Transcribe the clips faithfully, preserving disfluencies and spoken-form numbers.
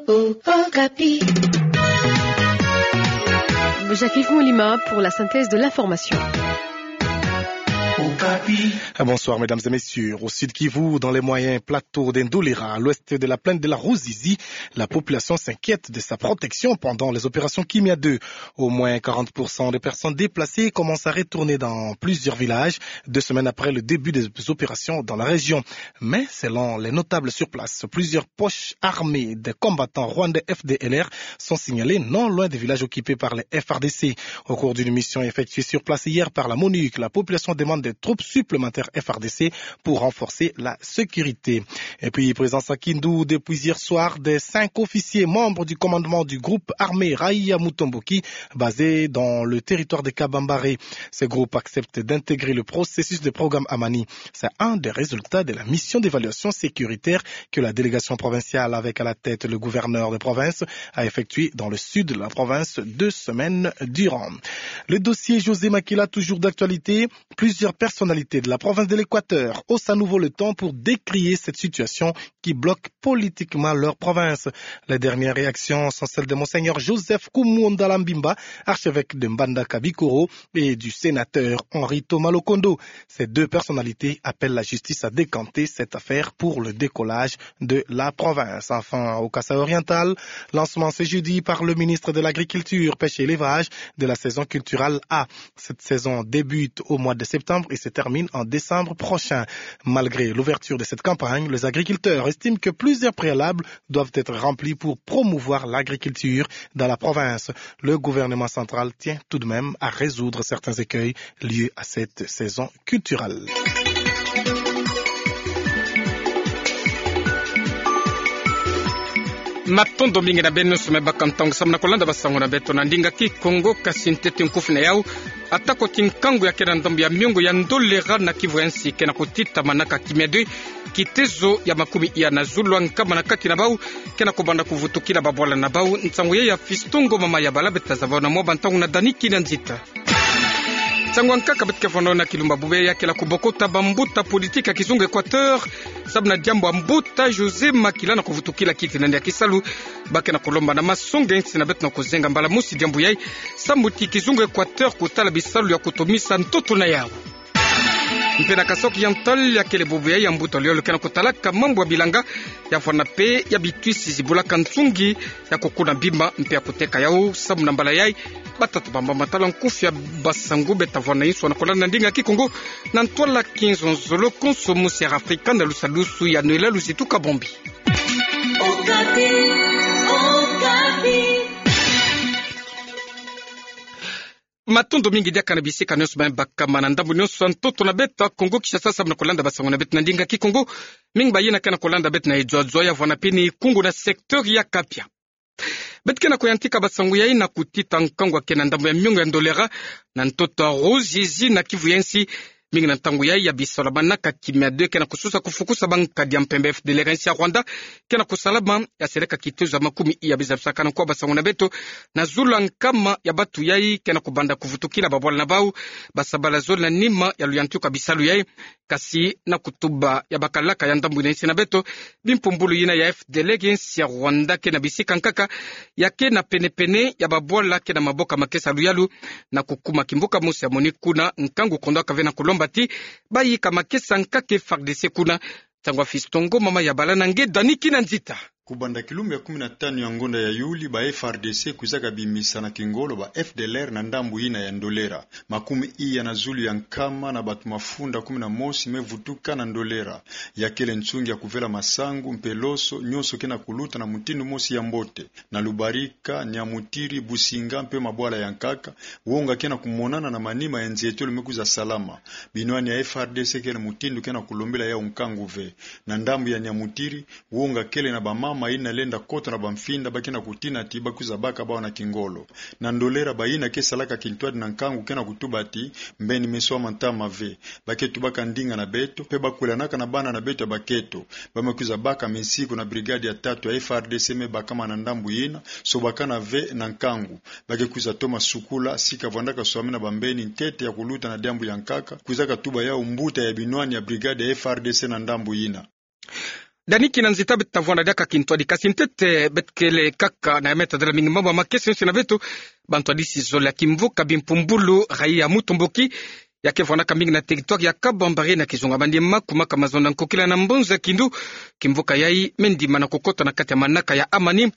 Au Okapi. Jacques-Yves Moulima pour la synthèse de l'information. Okapi. Bonsoir, mesdames et messieurs. Au Sud-Kivu, dans les moyens plateaux de Ndolera, à l'ouest de la plaine de la Ruzizi, la population s'inquiète de sa protection pendant les opérations Kimya deux. Au moins quarante pour cent des personnes déplacées commencent à retourner dans plusieurs villages, deux semaines après le début des opérations dans la région. Mais selon les notables sur place, plusieurs poches armées de combattants rwandais F D L R sont signalées non loin des villages occupés par les F A R D C. Au cours d'une mission effectuée sur place hier par la MONUC, la population demande des troupes supplémentaires F A R D C pour renforcer la sécurité. Et puis, présence à Kindu depuis hier soir des cinq officiers membres du commandement du groupe armé Raïa Mutomboki, basé dans le territoire de Kabambare. Ce groupe accepte d'intégrer le processus de programme Amani. C'est un des résultats de la mission d'évaluation sécuritaire que la délégation provinciale, avec à la tête le gouverneur de province, a effectué dans le sud de la province deux semaines durant. Le dossier José Makila, toujours d'actualité. Plusieurs personnalités de la province de l'Équateur haussent à nouveau le ton pour décrier cette situation qui bloque politiquement leur province. Les dernières réactions sont celles de Monseigneur Joseph Kumunda Lambimba, archevêque de Mbandaka Bikoro, et du sénateur Henri Thomas Lokondo. Ces deux personnalités appellent la justice à décanter cette affaire pour le décollage de la province. Enfin, au Kasaï oriental, lancement ce jeudi par le ministre de l'Agriculture, Pêche et Élevage de la saison culturelle A. Cette saison débute au mois de septembre et se termine en décembre prochain. Malgré l'ouverture de cette campagne, les agriculteurs estiment que plusieurs préalables doivent être remplis pour promouvoir l'agriculture dans la province. Le gouvernement central tient tout de même à résoudre certains écueils liés à cette saison culturelle. Matondo mingi na beno nyonso me baka ntangu samu na kolanda basango na beto na ndinga Kikongo. Kasi ntete nkufi na yau: atako ti nkangu ya kena ndambu ya miongo ya Ndolera na Kivu ya nsi kena kotita manaka Kimya deux, kitezo ya makumi iya na zulu ya nkama na kati na bau kena kobanda kuvutukila babwala na bau. Nsangu ya ya Fiston Ngoma Mayabala. Beta zaba na mwa bantangu na Dani Kina Nzita. Nsangu ya nkaka beto ke vwanda na kilumbu ya bubu ya kele kubokota bambuta politique ya kizunga Équateur samu na diambu ya mbuta José Makila na kuvutukila kiti na yandi ya kisalu. Ba kena kolomba na masonga nsi na beto na kuzenga mbala mosi diambu yai samu ti kizunga Équateur kutala bisalu ya kutumisa ntoto na yau. Mpe na Kasaï oriental, ya kele bubu yai ya mbuta luyolo kena kutalaka mambu ya bilanga ya vwanda mpe ya bitwisi zibulaka nsungi ya kukuna bima mpe ya kuteka yau. Samu na mbala yai, batata bamba matala nkufi ya basangu. Beta vwanda inso na kolanda na ndinga Kikongo na ntwala kinzonzolo konso mu Sierra Africa na lusalusu ya Noëlla Luzitu Kabombi. Okapi, Okapi. Matondo mingi diaka na bisika nyonso me bakama na ndambu nyonso ya ntoto na beto ya Kongo Kinshasa samu na kolanda basango na beto na ndinga Kikongo. Mingi bayina kena kolanda beto na edzwadzwa ya vwanda mpe ni kungu na secteur ya Kapia. Beto kena koyantika basango yai na kutita nkangu ya kena ndambu ya miongo ya Ndolera na ntoto ya Ruzizi na Kivu ya nsi. Mingi na ntangu yai ya bisalu ya manaka Kimya deux kena kususa kufukusa bankadi ya mpemba F D L R ya nsi ya Rwanda kena kusalama, ya seleka kitezo ya makumi iya. Biza bisakana kwa basango na beto, na zulu ya nkama ya bantu yai kena kubanda kuvutukila babwala na bau, basabala zole na nima ya luyantiku ya bisalu yai. Kasi na kutuba ya bakalaka ya ndambu yina ya nsi na beto, bimpumbulu yina ya F D L R ya nsi ya Rwanda kena bisika nkaka ya kena penepene ya babwala kena maboko ya makesa ya luyalu na kukuma kimbuka mosi ya MONUC kuna. Nkangu kondwa ka ve na kulomba ti bayika makesa nkaka F A R D C kuna. Nsangu ya Fiston Ngoma Mayabala na nge Dani Kina Nzita. Kubanda kilumbu ya kumi na tanu ya ngonda ya Yuli, ba F A R D C kwizaka bimisa na kingolo ba F D L R na ndambu yina ya Ndolera. Makumi iya na zulu ya nkama na bantu mafunda kumi na mosi me vutuka na Ndolera. Ya kele nsungi ya kuvela masangu mpe loso, nyonso kena kuluta na mutindu mosi ya mbote. Na Lubarika, Nyamutiri, Businga mpe mabwala ya nkaka, wonga kena kumonana na manima ya nzietolo me kwiza salama. Binwani ya F A R D C kele mutindu kena kulombela yau nkangu ve. Na ndambu ya Nyamutiri, wonga kele na bamama yina lenda kota na bamfinda, ba kena kutina ti ba kwiza baka bau na kingolo. Na Ndolera, bayina ke salaka kintwadi na nkangu kena kutuba ti mbeni meso ya mantama ve. Ba ke tubaka ndinga na beto, mpe ba kwilanaka na bana na beto ya baketo. Ba me kwiza baka minsiku na brigade ya tatu ya F A R D C me bakama na ndambu yina, sobakana ve na nkangu. Ba ke kwiza toma sukula sika vwandaka swamina bambeni ntete ya kuluta na diambu ya nkaka, kwizaka tuba yau mbuta ya binwani ya brigade ya F A R D C na ndambu yina. Dani kina nzita beto tavwanda diaka kintwadi kasi ntete beto kele kaka na ya me tadala mingi mambu ya makesa yonso na beto. Bantwadisi zole ya kimvuka Bimpumbulu, raia mutomboki, ya ke vwandaka mingi na territoire ya Kabambare na kizunga Maniema, kumaka mazono na nkokila na mbonza kindu. Kimvuka yai me ndima na kukota na kati ya manaka ya amani.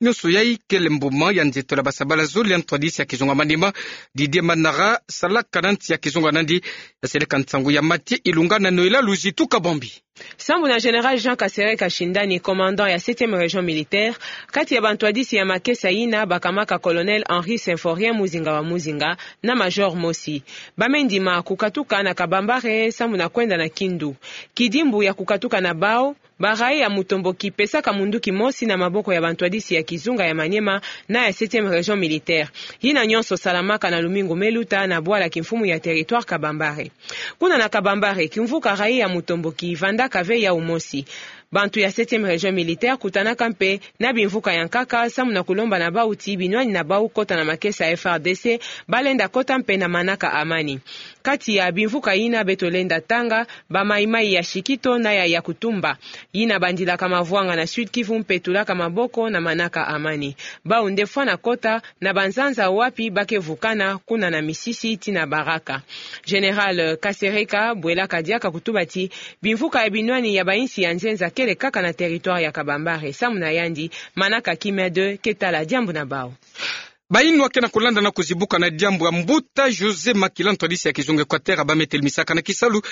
Nionso yai kele mbuma ya nzeto la basabala zole ya ntwadisi ya kizunga Maniema, Didier Manara, salaka na nsi ya kizunga Nandi. Ya seleka nsangu ya Mathieu Ilunga na Noëlla Luzitu Kabambi. Sambu na Général Jean Kasereka Shindani, commandant ya septième région militaire, kati ya bantwadisi ya makesa yina bakamaka Colonel Henri Symphorien Muzinga wa Muzinga na Major mosi. Ba me ndima kukatuka na Kabambare sambu na kwenda na Kindu. Kidimbu ya kukatuka na bau, ba raia mutomboki pesaka munduki mosi na maboko ya bantwadisi ya kizunga ya Maniema na ya septième région militaire. Yina nionso salamaka na lumingu me luta na bwala kimfumu ya territoire Kabambare. Kuna na Kabambare, kimvuka raia mutomboki vandaka ve yau mosi. Bantu ya septième région militaire kutanaka mpe na bimvuka ya nkaka, sambu na kulomba na bau ti binwani na bau kota na makesa ya F R D C, ba lenda kota mpe na manaka amani. Kati ya bimvuka yina beto lenda tanga, ba Maï-Maï ya Chikito na ya Yakutumba, yina bandilaka mavwanga na Sud-Kivu mpe tulaka maboko na manaka amani. Bau nde fwana kota na banzanza wapi ba ke vukana, kuna na Misisi tii na Baraka. Général Kasereka bwelaka diaka kutuba ti bimvuka ya binwani ya bainsi ya nzenza kele kaka na territoire ya Kabambare, sambu na yandi manaka kimia deux ke tala diambu na bau. Bayinwa ke na kulanda na kuzibuka na diambu ya mbuta José Makila, ntwadisi ya kizunga Équateur, ya ba me telmisaka na kisalu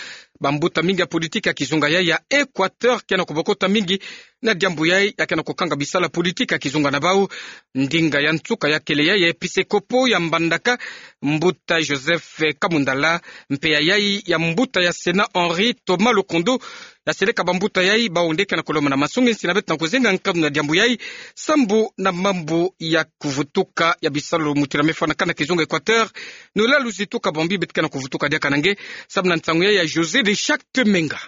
bambuta mingi ya politique ya kizunga yai ya Équateur, ke na kubokota mingi na diambu yai, ya ke na kukanga bisalu ya politique ya kizunga na bau. Ndinga ya nsuka ya kele yai ya episkopo ya Mbandaka, mbuta Joseph Kamundala, mpe ya yai ya mbuta ya Sénat Henri Thomas Lokondo. Ya seleka bambuta yai, bau nde ke na kulomba na masungi nsi na beto na kuzenga nkanu na diambu yai, sambu na mambu ya kuvutuka ya bisalu mutindu ya me fwanakana na kizunga Équateur. Noëlla Luzitu Kabambi, beto ke na kuvutuka diaka na nge, sambu na nsangu yai ya José de Chacte Menga.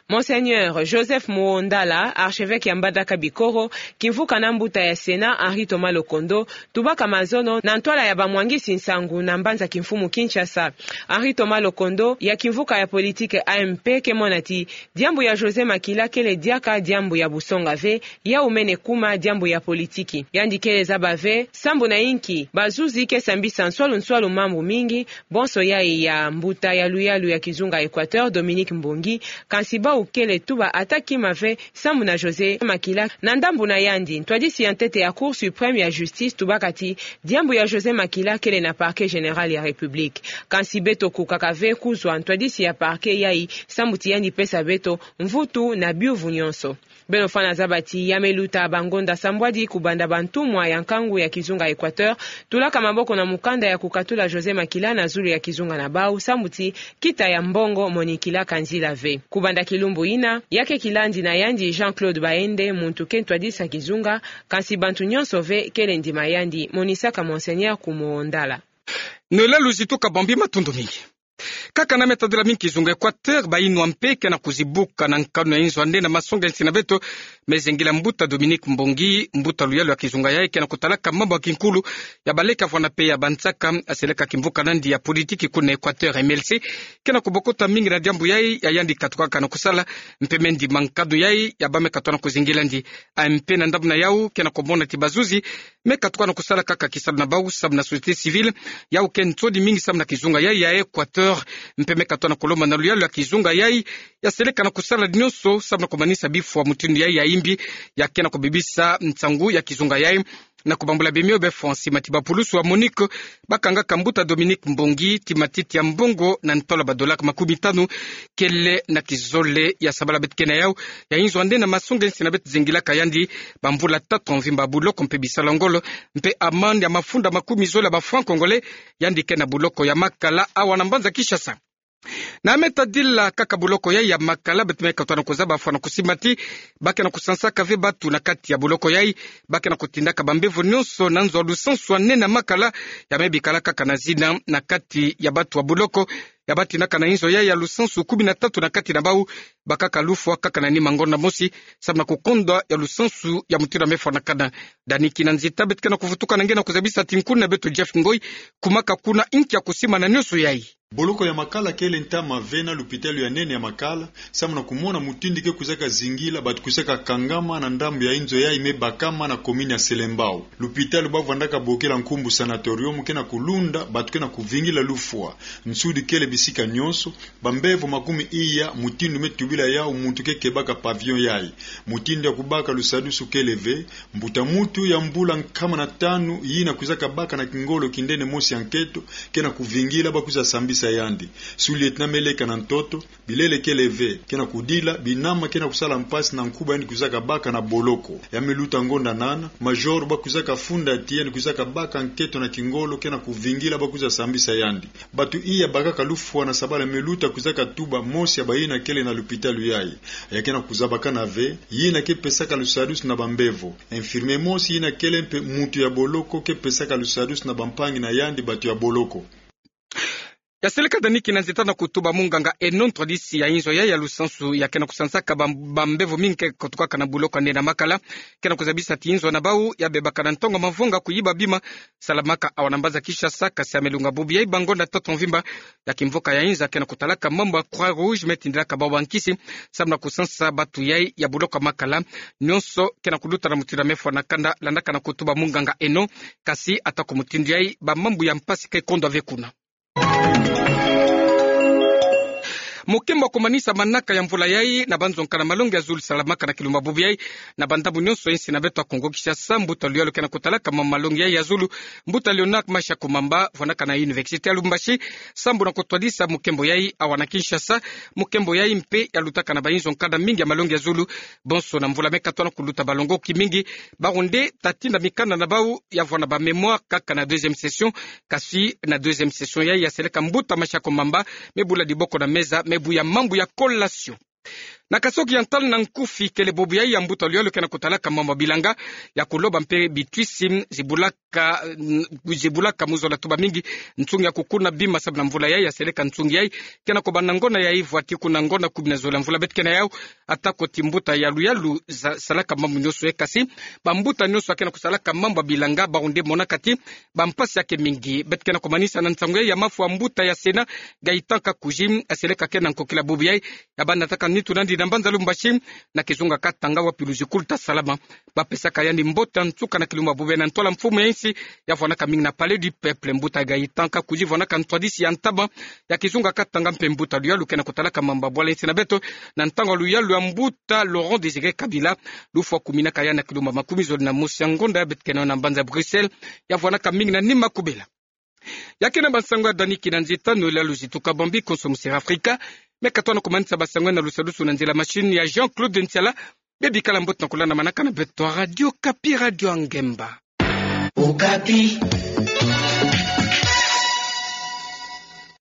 Monseigneur Joseph Muondala, archevêque ya Mbandaka Bikoro, kimvuka na mbuta ya Sénat Henri Thomas Lokondo, tubaka mazono na ntwala ya bamwangisi nsangu na mbanza kimfumu Kinshasa. Henri Thomas Lokondo, ya kimvuka ya politique A M P, ke mona ti diambu ya José Makila kele diaka diambu ya busonga ve, yau mene kuma diambu ya politique. Yandi kele zaba ve sambu na inki bazuzi ke sambisa nswalu nswalu mambu mingi, bonso yai ya mbuta ya luyalu ya kizunga Équateur, Dominique Mbongi, kansi bau kele tuba ata kima ve sambu na José Makila. Na ndambu na yandi, ntwadisi ya ntete ya Cour suprême ya justice tubaka ti diambu ya José Makila kele na Parquet général ya République. Kansi beto kukaka ve kuzwa ntwadisi ya parquet yai, sambu ti yandi pesa beto mvutu na biuvu nionso. Beno fwana zaba ti ya me luta bangonda sambwadi kubanda bantumwa ya nkangu ya kizunga Équateur tulaka maboko na mukanda ya kukatula José Makila na zulu ya kizunga na bau, sambu ti kita ya mbongo monikilaka nzila ve. Kubanda kilumbu yina, ya ke kilandi na yandi Jean-Claude Baende, muntu ke ntwadisi ya kizunga, kansi bantu nionso ve kele ndima yandi, monisaka Monseigneur Kumuondala. Noëlla Luzitu Kabambi, matondo mingi. Kaka na me tadila mingi kizunga Équateur, bayinwa mpe ke na kuzibuka na nkanu ya inzo ya nde na masonga nsi na beto, me zengila mbuta Dominique Mbongi, mbuta luyalu ya kizunga yai ke na kutalaka mambu ya kinkulu ya baleka vwana mpe ya bansaka, ya seleka kimvuka nandi ya politique kuna Équateur, M L C, ke na kubokota mingi na diambu yai ya yandi katukaka na kusala, mpe me ndima nkanu yai ya ba me katuka na kuzengilandi. A M P na ndambu na yau ke na kumona ti bazuzi me katuka na kusala kaka kisalu na bau samu na société civile, yau ke nsoni mingi samu na kizunga yai ya Équateur, mpe me katuka na kulomba na luyalu ya kizunga yai ya seleka na kusala nionso samu na kumanisa bifwa mutindu yai ya imbi, ya ke na kubebisa nsangu ya kizunga yai, na kubambula bemio befwa nsi mati bapulusu ya MONUC ba kangaka mbuta Dominique Mbongi ti matiti ya mbongo na ntolo ba dollar makumi tanu, kele na kizole ya sabala beto ke na yau, ya inzo ya nde na masonga nsi na beto zengilaka yandi bamvula tatu ya mvimba ya buloko mpe bisalu ya ngolo, mpe amende ya mafunda makumi zole ya ba francs congolais, yandi ke na buloko ya Makala awa na mbanza Kinshasa. Na me tadila kaka buloko yai ya Makala, beto me katuka na kuzaba fwana kusimba ti ba ke na kusansaka ve batu na kati ya buloko yai, ba ke na kutindaka bambevo nionso na nzo ya lusansu ya nene ya Makala, ya me bikala kaka na zina na kati ya batu ya buloko, ya ba tindaka na inzo yai ya lusansu kumi na tatu na kati na bau, bakaka lufwa kaka na nima ngonda mosi, samu na kukonda ya lusansu ya mutindu ya me fwanakana. Dani kina nzita beto ke na kuvutuka na nge na kuzabisa ti nkuna beto Jeff Ngoi, kumaka kuna inki ya kusimba na nionso yai. Boloko ya Makala kele ntama mavena lupitalu ya nene ya Makala, samu na kumona mutindu ke kwizaka zingila batu kwizaka kangama na ndambu ya inzo yayi me bakama na commune ya Selembao. Lupitalu ba vwandaka bokela nkumbu sanatorium ke na kulunda batu ke na kuvingila lufwa. Nsudi kele bisika nyonso, bambevo makumi iya, mutindu me tubila yawu muntu ke kebaka pavillon yayi. Mutindu ya kubaka lusadusu kele ve. Mbuta muntu ya mvula nkama na tanu yina kwizaka baka na kingolo kindende mosi ya nketo ke na kuvingila ba kwiza sambisa yandi. Sous-lieutenant me leka na ntoto, bilele kele ve, ke na kudila, binama ke na kusala mpasi na nkuba yandi kwizaka baka na boloko. Ya me luta ngonda nana, major ba kwizaka funda ti yandi kwizaka baka nketo na kingolo ke na kuvingila ba kwiza sambisa yandi. Batu iya bakaka lufwa na sabala me luta kwizaka tuba mosi ya bayina kele na lupitalu yayi. Ya ke na kuzabakana ve, yina ke pesaka lusadusu na bambevo. Infirmier mosi yina kele mpe muntu ya boloko ke pesaka lusadusu na bampangi na yandi batu ya boloko. Ya seleka Dani Kinanzita na kutuba munganga Eno, ntwadisi ya inzo yayi ya lusansu ya ke na kusansaka bam-, bambevo mingi ke kotukaka na boloko ya nene ya Makala, ke na kuzabisa ti inzo na bawu ya bebaka na ntangu mavanga kuyiba bima, salamaka awa na mbanza Kinshasa, kasi ya me lunga bubu yayi ba ngonda tatu mvimba. Ya kimvuka ya inza ke na kutalaka mambu ya Croix Rouge me tindilaka bawu bankisi, samu na kusansa batu yayi ya boloko ya Makala. Nyonso ke na kuluta na mutindu ya me fwa na kanda, landaka na kutuba munganga Eno, kasi atako mutindu yayi, bamambu ya mpasi ke kondwa ve kuna. Mukimbo wa kumanisa manaka ya mvula yayi na banzo nkana malongi ya zulu salamaka na kilumbu bubu yayi na bandambu nyonso ya insi na beto ya Kongo Kinshasa, mbuta luyalu ke na kutalaka ma malongi yayi ya zulu, mbuta Léonard Masha Kumamba, vwanaka na Université ya Lubumbashi, sambu na kutwadisa mukimbo yayi awa na Kinshasa. Mukimbo yayi mpe ya lutaka na bainzo nkana mingi ya malongi ya zulu, bonso na mvula me katwa na kuluta balongoki mingi. Bawu nde ta tinda mikanda na bawu ya vwa na ba mémoire kaka na deuxième session, kasi na deuxième session yayi ya seleka mbuta Masha Kumamba me bula diboko na meza, me buya mambu ya collation. Na kasoki ya ntala na nkufi kele bubu yayi ya mbuta luyalu ke na kutalaka mambu ya bilanga, ya kuloba mpe bitwisi zibulaka, zibulaka mu zola tuba mingi nsungi ya kukuna bima, sabu na mvula yayi ya seleka nsungi yayi ke na kubanda ngona yayi vwa ti kuna ngona kumi na zole ya mvula beto ke na yawu. Atako ti mbuta ya luyalu za-, salaka mambu nyonso yayi, kasi bambuta nyonso ya ke na kusalaka mambu ya bilanga, bawu nde monaka ti bampasi ya ke mingi. Beto ke na kumanisa na nsangu yayi ya mafwa mbuta ya Sénat, Gaëtan Kakouzi, aseleka ke na nkokila bubu yayi, ya banataka nitu na yandi na mbanza Lubumbashi, na kizunga Katanga, wapi luzikulu ta salama. Ba pesaka yandi mbote ya nsuka na kilumbu bubu yayi na ntwala mfumu ya insi, ya vwanaka mingi na Palais du Peuple. Mbuta Gaëtan Kakouzi vwanaka ntwadisi ya ntama ya kizunga Katanga mpe mbuta luyalu ke na kutalaka mambu ya bwala insi na beto, na ntangu ya luyalu ya mbuta Laurent Désiré Kabila, lufwa kuminaka yandi na kilumbu makumi zole na mosi ya ngonda ya beto ke na yo na mbanza Bruxelles, ya vwanaka mingi na nima kubela. Ya ke na bansangu ya Dani Kinanzita, Noël Luzitu Kabambi, konso Musera Afrika, me katwa na kumanisa bansangu na lusadusu na nzila machine ya Jean-Claude Ntiala. Bebikala mbote na kulanda manaka na beto ya Radio Okapi, Radio ya Ngemba. Okapi.